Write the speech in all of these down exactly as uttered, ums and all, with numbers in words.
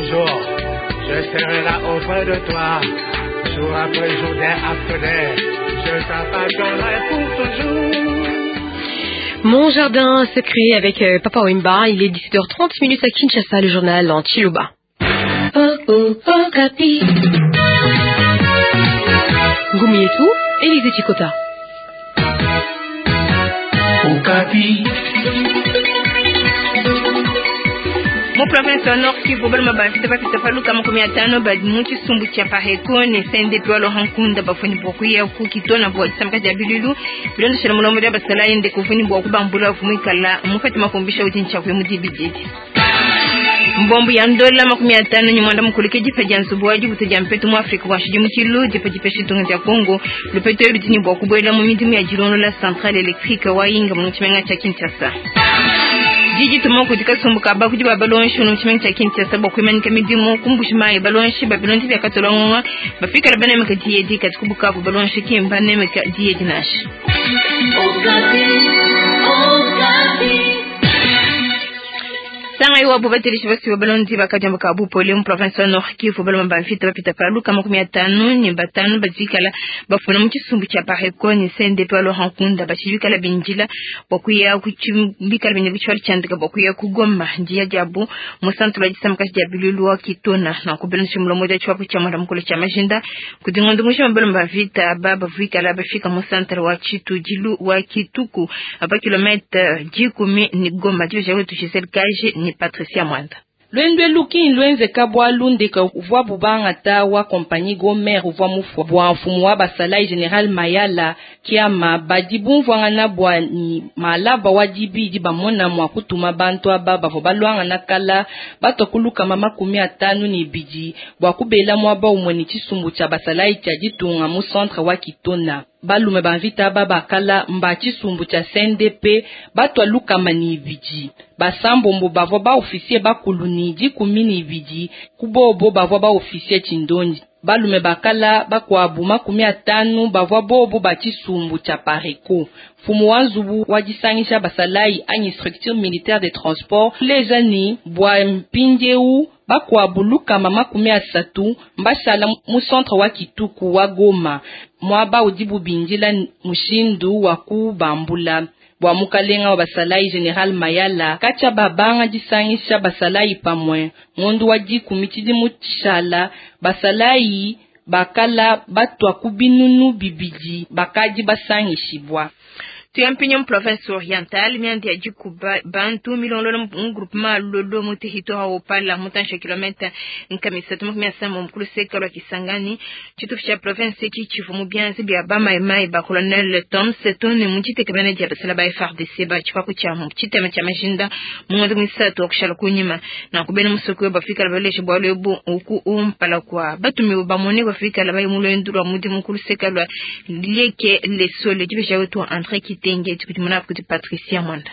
toujours, je serai là auprès de toi. Jour après jour, day after day, je t'appartiendrai pour toujours. Mon jardin secret avec euh, Papa Wemba. Il est dix-sept heures trente minutes à Kinshasa, le journal en Tshiluba. Oh, oh, oh, Kapi. Ngoumi et tout, Élisée Chikota. Okapi. Mu province wa Nord Kivu balima bafita bapita paluka makumi atano badi mu tshisumbu tshia Pareko ne C N D P wa Laurent Nkunda bafuni bua kuya ku Kitona bua disambuka dia bilulu bilondeshela mulombo dia basalayi nde kufuni bua kubambula vumuikala mupete makumbisha udi ntshia mu dibididi. Mbombo ya ndola makumi atano ni mwanda mukulu ke dipa dia nzubu wa dibuto dia mpetu mu Afrika wa shidi mu Tshilu, dipa dipesha ditunga dia Congo lupeto elu dini bua kubuela mu midimu ya dilondola centrale électrique wa Inga mu tshimenga tshia Kinshasa. Jiji tumo kudi kasumbu ka bakudi ba balonshi mu tshimenga tshia Kinshasa bua kuimanika midimu kumbushi mayi balonshi babilonzi bia katolongonga bafikala banemeka diyedi kati kubukavu balonshi kimba nemeka diyedi nasha. Okapi, Okapi. Sanga iwapo batelishi basi babalondi bakajamba ka bupole mu province ya Nord Kivu baloma bamfita bapita paluka makumi atano ni batano bazikala bafuna mu tshisumbu tshia Pareko ni C N D P wa Laurent Nkunda bashibikala binjila bwakuya kuchimbikala bine bichwali chandika bwakuya kugoma njia jabu mu centre la disamka dia bilulu wa Kitona na kubelonshi mulomo dia chwapo cha mwanda mukolo cha majinda kudingondo musha baloma bavita baba vikala bafika mu centre wa Chitujilu wa Kituku apa kilomètre dikumi ni Goma dio jawe tuchisel kaje ni Patricia Mwanda. Lwendwe luki lwenze kabwa lundeka uvwa bubanga ta wa compagnie Gomer uvwa mufwa bwa mfumu wa basalayi General Mayala kiama badi bumvwangana bwa ni malaba wa dibidi bamona mwa kutuma bantu aba bavo balwanga na kala batokuluka mama kumi atanu ni bidi bwa kubela mwaba umwe ni tshisumbu tshia basalayi tshia ditunga mu centre wa Kitona. Balume bamvita baba kala mba tshisumbu tshia C N D P batwa lukama ni ibidi basambombo bavwa ba officier bakulu ni dikumi ni ibidi kubobo bavwa ba officier tshindonji balume bakala bakwabu makumi atanu bavwa bobo ba tshisumbu tshia Pareko. Mfumu wa nzubu wa disangisha basalayi anyi structure militaire de transport leja ni bwa mpindieu bakwabu lukama makumi asatu mbashala mu centre wa Kituku wa Goma mwaba udi bubindila mushindu wa kubambula bwa mukalenga wa basalayi General Mayala kacha babanga disangisha basalayi pamwe ngondu wa dikumi tshidimu tshishala basalayi bakala batwa kubinunu bibidi bakadi basangishibwa. Tuyampinyo province orientale miandi ya jikuba bantu milongolo mu groupement lolo mu territoire opala mutansha kilomètre nkamisa tumakumi asamba mukulu seka lwa Kisangani chitufu cha province ki chivu mu byanzi bya ba mai mai ba colonel Tom Setone mu chitekemene dia basala ba F R D C ba chikwa kucha mu chitema cha majinda mu ng'ondo misatu okushala kunyima na kubena musoko bafika baleshe bwa lebo uku umpala kwa batumi bamone bafika la bayi mulendulwa mudi mukulu seka lwa lieke lesole jibesha wetu André Kitenge tukutimuna kuti Patricia Mwanda.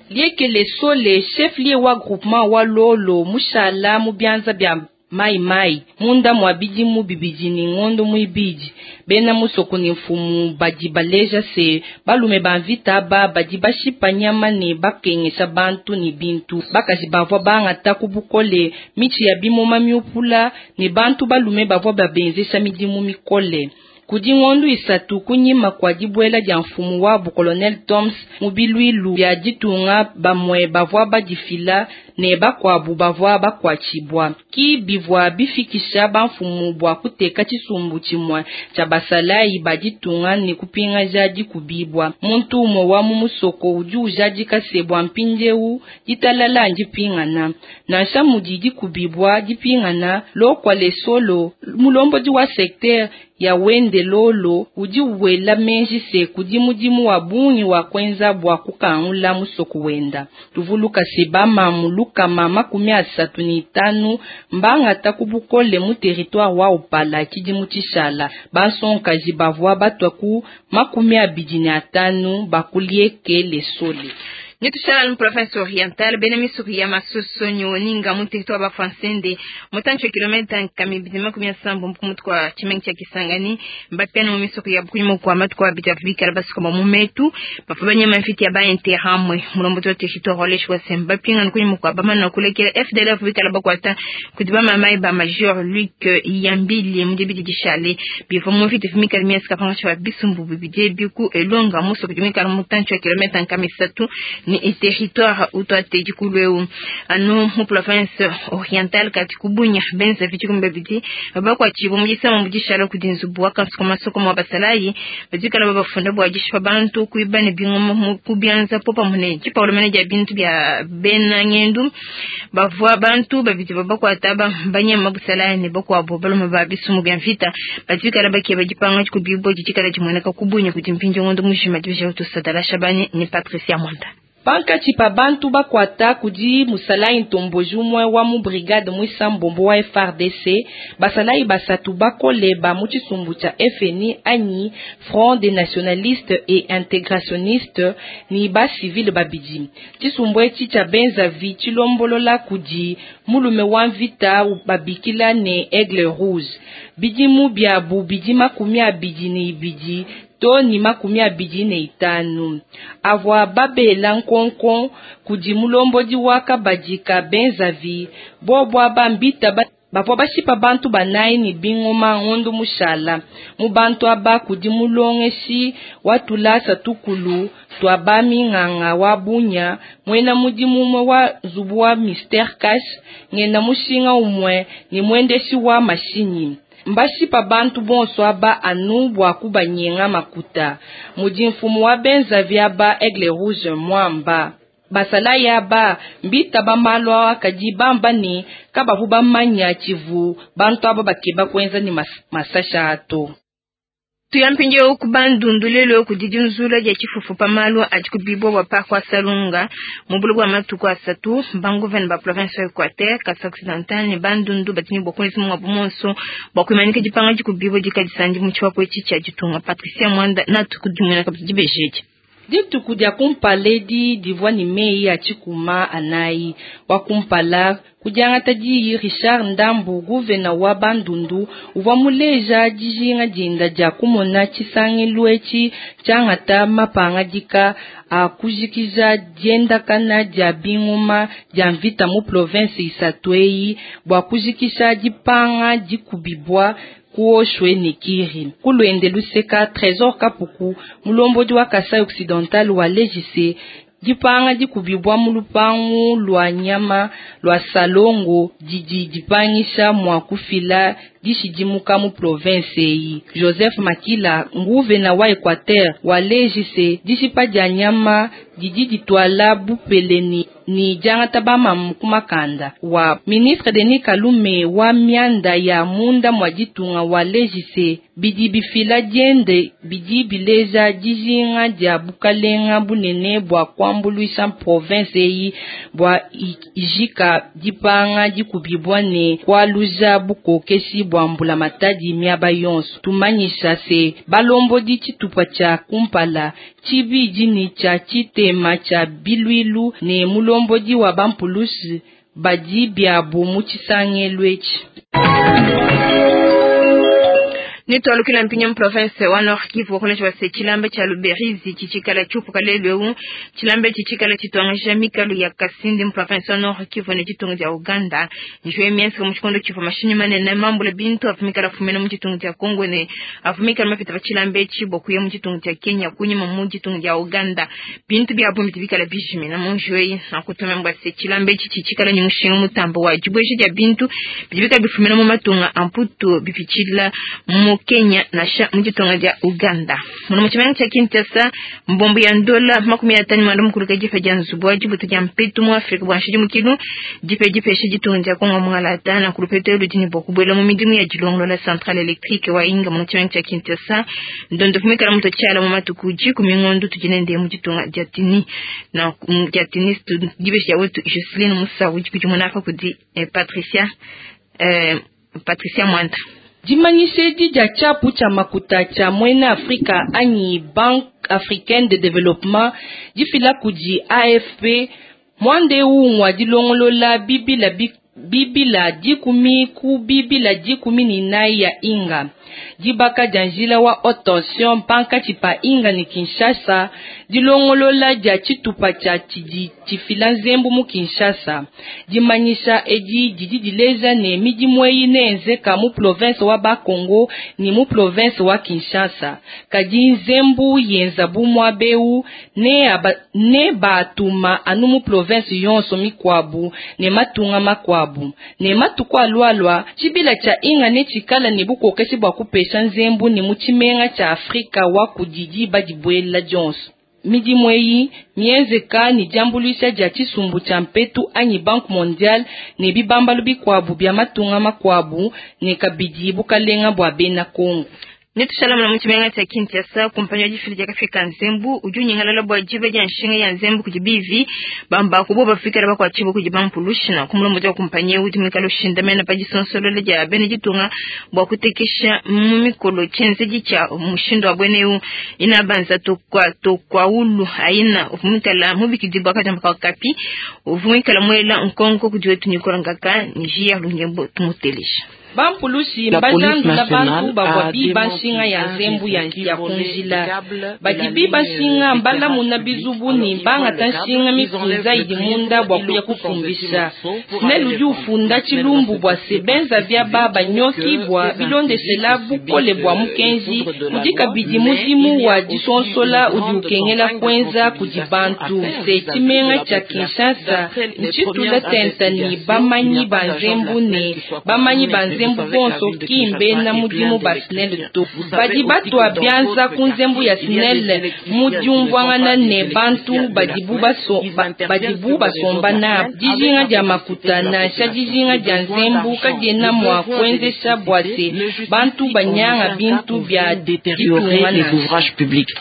Lieke lesole chef lié wa groupement wa lolo mushala mu byanza bya mai mai munda mwabidi mu bibidi ni ngondo muibidi bena musoko ni mfumu badi baleja se balume bamvita ba badi bashipa nyama ne bakengesha bantu ni bintu bakaji bavwa bangata kubukole michi ya bimoma miupula ne bantu balume bavwa babenzesha midimu mikole. Kudi ngondu isatu kunyima kwa dibwela dia mfumu wabu Colonel Toms mubilwilu bya ditunga bamwe bavwa badifila ne bakwabu bavwa bakwachibwa ki bivwa bifikisha bamfumu bwa kuteka tshisumbu tshimwe tshia basalayi baditunga ne kupinga jadi kubibwa muntu umwe wa mu musoko udi ujadika sebwa mpindiewu ditalala ndipingana nansha mudi dikubibwa dipingana lokwa lesolo mulombodi wa secteur ya wende lolo udi wela menji se kudi mudimu wa bungi wa kwenza bwa kukangula musoko wenda tuvuluka seba mamuluka mama kumi asatu ni tanu mbanga takubukole mu territoire wa upala tshidimu tshishala basonkaji bavwa batwa ku makumi abidi ni atanu bakulieke lesole. Nitushala mu province orientale bena misuri ya Masoso nyoninga mu territoire ba Francende mutancho kilomita nkami bidima kumia sambo mkumutu kwa chimengi cha Kisangani mbapiana mu misuri ya bukunyuma kwa matu kwa bita bikala basuka mu metu bafabanya mafiti ya ba interhamwe mulombo to territoire oleshwa semba pinga nkunyuma kwa bamana kulekela F D L F bikala bakwata kudiba mama ba major Luc Yambili mudibidi dishale bifo mu fiti fimika miaka panga cha bisumbu bibije biku elonga muso kujumika mutancho kilomita nkami satu ni territoire utwate jikulweu anu mu province orientale kati kubunya benza vichikumbe bidi bakwa chibo mujisama mujishala kudinzu bwaka sokoma sokoma basalayi bajikala babafunda bwajishwa bantu kuibane bingoma kubyanza popa mune chipa ulomene bintu bya bena ngendu bavwa bantu babidi babakwa taba banyama busalayi ne bakwa bo baloma babisumu bya mvita bajikala bakiye bajipanga kubibwa jikala jimweneka kubunya kudimpinjo ngondo mujima dibisha utusadala Shabani ni Patricia Mwanda. Pankachi pa bantu bakwata kudi musalai ntomboji umwe wa mu brigade mwisambombo wa F R D C basalai basatu bakoleba mu chisumbu cha F N I anyi Front des Nationalistes et Intégrationnistes ni ba civil babidi chisumbu echi cha benzavi chilombolola kudi mulume wa mvita babikila ne Aigle Rouge bidimu byabu bidi makumi abidi ni ibidi to ni makumi abidi ne itanu avwa babela nkonkon kudi mulombodi waka badika benzavi bobwa bambita ba bavwa bashipa bantu banayi ni bingoma ngondo mushala mu bantu aba kudi mulongeshi watulasa tukulu twabami nganga wa bunya mwena mudimu umwe wa nzubu wa Mister Cash ngena mushinga umwe ni mwendeshi wa mashinyi mbashipa bantu bonso aba anu bwa kubanyenga makuta mudi mfumu wa benzavi aba Aigle Rouge mwamba basala yaba mbita bamalwa kadi bamba ni kabavu bamanya chivu bantu aba bakeba kwenza ni mas, masasha ato tuyampinje okubandundulelo kudidinzula ya chifufu pamalwa ajikubibwa wa pakwa salunga mubulu wa matuku asatu bangoven ba province ya Equateur Kasai Occidental ne bandundu batini bokunzi mwa bumonso bakumanika jipanga jikubibwa jikadisanji muchiwa kwechi cha jitunga Patricia Mwanda na tukudimuna kabisa dituku dia kumpaledi divwa ni mei ya chikuma anayi wakumpala kudiangata diyi Richard Ndambu guvena wa bandundu uvwa muleja dijinga dinda dia kumona tshisangilu etshi tshiangata mapanga dika akujikija diendakana dia binguma dia mvita mu province isatu eyi bua kujikisha dipanga dikubibwa kuoshwe nikiri kulwende luseka Trésor Kapuku mulombodi wa Kasai Occidental wa lejise dipanga dikubibwa mu lupangu lwa nyama lwa salongo didi dipangisha mwa kufila dishidimuka mu province eyi Joseph Makila nguvena wa Equateur wa lejise dishipa dia nyama didi ditwala bupeleni ni diangata bamamu kumakanda wa ministre Denis Kalume wa mianda ya munda mwa ditunga wa lejise bidi bifila diende bidi bileja dijinga dia bukalenga bunene bua kuambuluisha province eyi bua ijika dipanga dikubibwa ne kualuja bukokeshi bua mbula matadi miaba yonso tumanyisha se balombodi tshitupa tshia kumpala tshibidi ni tshia tshitema tshia bilwilu ne mulombodi wa bampulushi badi biabu mu tshisangelu etshi. Nitwalukila mpinya mu province wa Nord Kivu kunesha wase chilambe cha Luberizi chichikala chupu kalelwe chilambe chichikala chitwangisha mikalu ya Kasindi mu province wa Nord Kivu ne chitungu cha Uganda njwe miensi mu chikondo chifu mashinyi manene mambule bintu afumikala fumene mu chitungu cha Kongo ne afumikala mafita chilambe chibo kuye mu chitungu cha Kenya kunyima mu chitungu cha Uganda bintu bya bumbi bikala bijimi na munjwe na kutume mbwase chilambe chichikala nyumushinga mutambo wa jibweje ya bintu bibika bifumene mu matunga amputu bipichila mu Kenya na sha mujitonga ja Uganda muno muchimanyi cha Kinshasa mbombo ya ndola makumi atano mwandu mukulu jife ja nzubu jibutu ja mpetu mu Afrika bwa nshiji mukilu jipe jipe shi jitonga ja Kongo mwalata na kulupete lujini bokubwela mu midimu ya jilongolo la centrale électrique wa inga muno chimanyi cha Kinshasa ndondo fumikala muto chala mu matuku ji kumingondo tujinende mu jitonga ja tini na ja tini jibe ya wetu Jocelyn Musa ujikujumuna fa kudi eh, Patricia eh, Patricia Mwanda Dimanyishe dia chapu cha makuta cha mwena Afrika anyi Bank Africaine de Développement difila kudi A F P mwande ngwa dilongolola bibila bibila dikumi ku bibila dikumi ni nai ya Inga dibaka dia njila wa haute tension pankatshi pa Inga ni Kinshasa dilongolola dia tshitupa tshia tshidi tshifila nzembu mu Kinshasa dimanyisha edi didi dileja ne midimu eyi neenzeka mu province wa Bakongo ni mu province wa Kinshasa kadi nzembu yenza bu muabeu ne aba, ne batuma anu mu province yonso mikwabu ne matunga makwabu ne matuku alualua tshibila tshia Inga ne tshikala ne bukokeshi bua kupesha nzembu ne mu tshimenga tshia Afrika wa kudidi badibuela dionso. Midimu eyi mienzeka ni diambuluisha dia tshisumbu tshia mpetu anyi Banque Mondiale ne bibambalu bikuabu bia matunga makuabu ne kabidi bukalenga bua bena Kongo. Netushalama mu tshimenga tshia Kinshasa kumpanyi wa difila dia kafika nzembu udi unyingalala bua diba dia nshinga ya nzembu kudi bivi bamba kubo bafikela bakuatshibo kudi bampulushina kumulombo wa kumpanyi udi mwikala ushindamena pa disonsolola dia bene ditunga bua kutekesha mu mikolo tshienzedi tshia mushindu wa bweneu inabanza tokwa tokwaulu aina uvumikala mubikidibwa kajamba kapi uvumikala mwela nkonko kudi wetu Nicolas Ngaka ni jia lungembo tumutelisha. Bampulushi mbajandula bantu bavua biba nshinga ya nzembu ya ya kunjila badi biba nshinga mbalamuna bizubu ni bangata nshinga mikunza idi munda bua kuya kufumbisha SNEL udi ufunda tshilumbu bua sebenza bia baba nyoki bua bilondeshela bukole bua mukenji udi kabidi mudimu wa disonsola udi ukengela kwenza kudi bantu se tshimenga tshia Kinshasa ntshitula tenta ni bamanyi ba nzembu ne bamanyi ba nzembu bonso kimbe na mudimu ba SNEL to badi batwa bianza ku nzembu ya SNEL mu diumvuangana ne bantu badibu baso badibu basomba na dijinga dia makuta nansha dijinga dia nzembu kadiena mua kuenzesha bua se bantu banyanga bintu bia détériorer les ouvrages publics.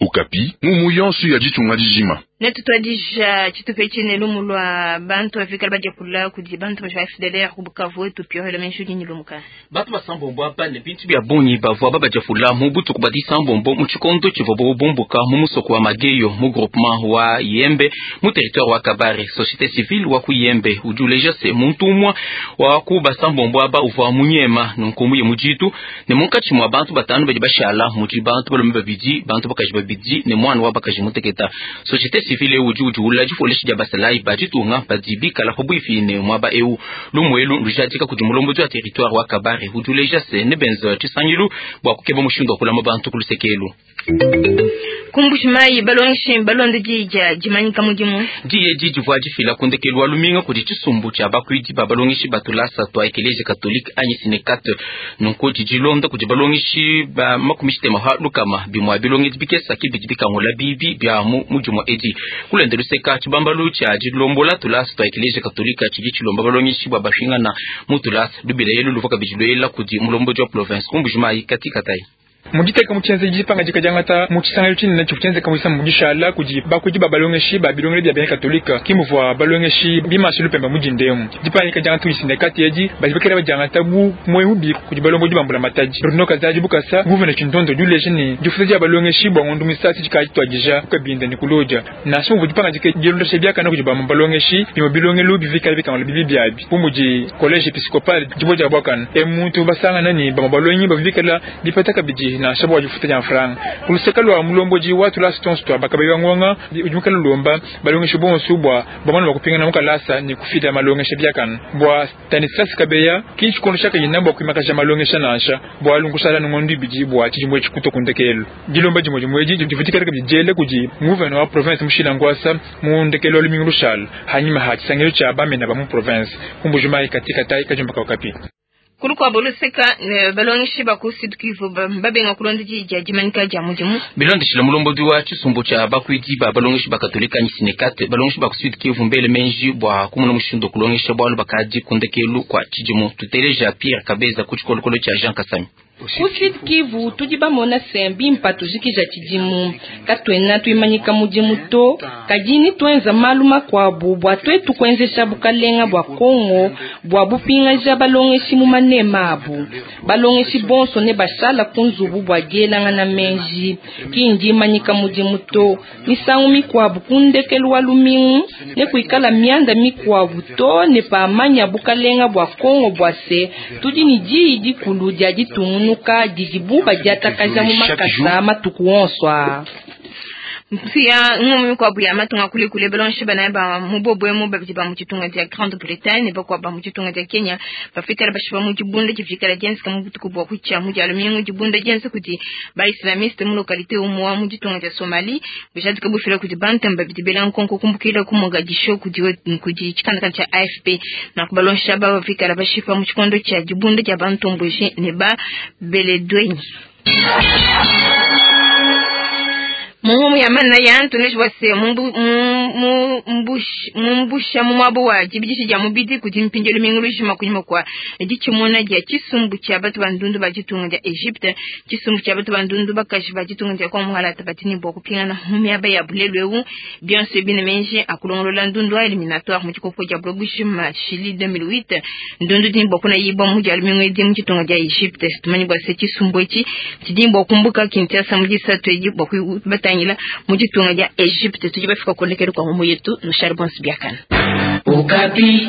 Okapi, mumuyonsu ya ditunga dijima. Netutwadija tshitupe tshine lumu lwa bantu bafikala badia kula kudi bantu ba F D L R ku Bukavu etu pio la menshi ni lumuka. Bantu basambombo apa ne bintu bya bungi bavua babadia fula mu butuku bwa disambombo mu tshikondo tshivua bobumbuka mu musoko wa Mageyo mu groupement wa Yembe mu territoire wa Kabare. Société civile wa ku Yembe udi uleja se muntu umwe wa ku basambombo aba uvua munyema nunku muye mujitu ne munkatshi mwa bantu batanu badi bashala mudi bantu balume babidi bantu bakaji babidi ne mwana wa bakaji muteketa. Société civile udi udi ula difoleshi dia basalai baditunga badibikala pabuifi ne mwaba eu lumuelu lujadika kudi mulombozi wa territoire wa Kabare udi uleja se ne benza tshisangilu bua kukeba mushindu wa kulama bantu ku lusekelu. Kumbushimai balongeshi balonde dija dimanyika mudimu diye didivua difila ku ndekelu wa luminga kudi tshisumbu tshia bakuidi ba balongeshi batulasa twa ekelezia katolike anyi sinekate nunku didilonda kudi balongeshi ba makumi tshitema ha lukama bimua bilongedi bikesa kibidi bikangula bibi bia mu mudimu edi kulende luseka tshibambalu tshia dilombola tulasa twa ekelezia katolika tshidi tshilomba balongeshi bua bashingana mu tulasa lubila yelu luvua kabidi luela kudi mulombodi wa province Kumbushimai katika tai. Mujiteka muchenze jipanga jikajangata muchisangayo chini na chikuchenze kamwisa mujishala kuji bakuji babalongeshi babilongele bya bena katolika kimuvwa balongeshi bimashilu pemba mujindemu jipanga jikajangata isindekati yeji bajibekera bajangata bu mwehubi kuji balongo jibambula mataji Bruno Kazaji bukasa guvernor Chintondo juleje ni jifuza ja balongeshi bwa ngondu misasi jikajitwajija kabinda ni kuloja na shumvu jipanga jike jilondoshe byaka na kuji balongeshi bimo bilongelu bivikala bikangala bibi byabi bumuji college episcopal jiboja bwakana emuntu basanga nani bamabalongi bavikala bipata kabiji na shabo wajifuta ja franga kuluseka lwa mulomboji watu la stones twa bakabewa ngonga ujumukala lomba balongesha bonso bwa bamana bakupingana mukalasa ni kufida malongesha byakana bwa Stanislas Kabeya kinchi kono shaka yinamba kuimakasha malongesha nansha bwa lunkusala ngondu biji bwa chijimwe chikuto kundekelo jilomba jimwe jimwe jivutika kabijele kuji guvernor wa province mushila ngwasa mu ndekelo lumingu lushal hanyuma ha chisangelo cha bamena ba mu province kumbujuma katika tai kajumba kapi Kulukwa boluseka balongeshi ba ku Sud Kivu babenga kulonda dija dimanyika dia mudimu bilondeshela mulombodi wa tshisumbu tshia bakuidi ba balongeshi ba katolika anyi sinekate balongeshi ba ku Sud Kivu mbele menji bua kumuna mushindu kulongesha bwalu bakadi kundekelu kwa tshidimu tuteleja Pierre Kabeza ku tshikolokolo tshia Jean Kasami. Ku Sud Kivu tudi bamona se mbimpa tujikija tshidimu katuena tuimanyika mudimu to kadi ni tuenza malu makuabu bua tuetu kuenzesha bukalenga bua Kongo bua bupingaja balongeshi mu manema abu. Balongeshi bonso ne bashala ku nzubu bua dielangana meji kindi imanyika mudimu to misangu mikuabu ku ndekelu wa lumingu ne kuikala mianda mikuabu to ne pamanya bukalenga bua Kongo bua se tudi ni diyi dikulu dia ditungunuka didibu badiatakaja mu makasa matuku onso aa. Mpia ngumu mikuabu ya matunga kule kule balongeshi banayi ba mu bobwemu babidi ba mu ditunga dia Grande-Bretagne bakuabu ba mu ditunga dia Kenya bafikala bashipa mu dibunda difikala dienzeka mu butuku bua kutshia mu dia lumingu. Dibunda dienza kudi ba islamiste mu localité umwa mu ditunga dia Somalie bujadika bufila kudi bantu babidi bela nkonko kumbukila ku Mogadishu kudi kudi tshikandakanda tshia A F P na kubalongesha aba bafikala bashipa mu tshikondo tshia dibunda dia bantomboji ne ba Beledweyne. Mungu ya mana ya Anthony wase mumbu mumbusha mumwabo wa jibidisha ja mubidi kuti mpinjelo mingulu jima kunyuma kwa dichimona dia chisumbu cha batu bandundu ba ditunga dia Egypte chisumbu cha batu bandundu bakaji ba ditunga dia kwa muhala tabatini bwa kupingana mumiaba ya bulelwewu bien sûr bine menje akulongolola ndundu a éliminatoire mu chikopo ja blogushima Chili deux mille huit ndundu din bwa kuna yiba mu ja lumingu di mu ditunga dia Egypte tumanyi bwa se chisumbu ichi tidimbo kumbuka Kinshasa mu disatu eji bwa kubatangila mu ditunga dia Egypte tujibafika kolekelo kwa mumu yetu no charbon biakana. Okapi.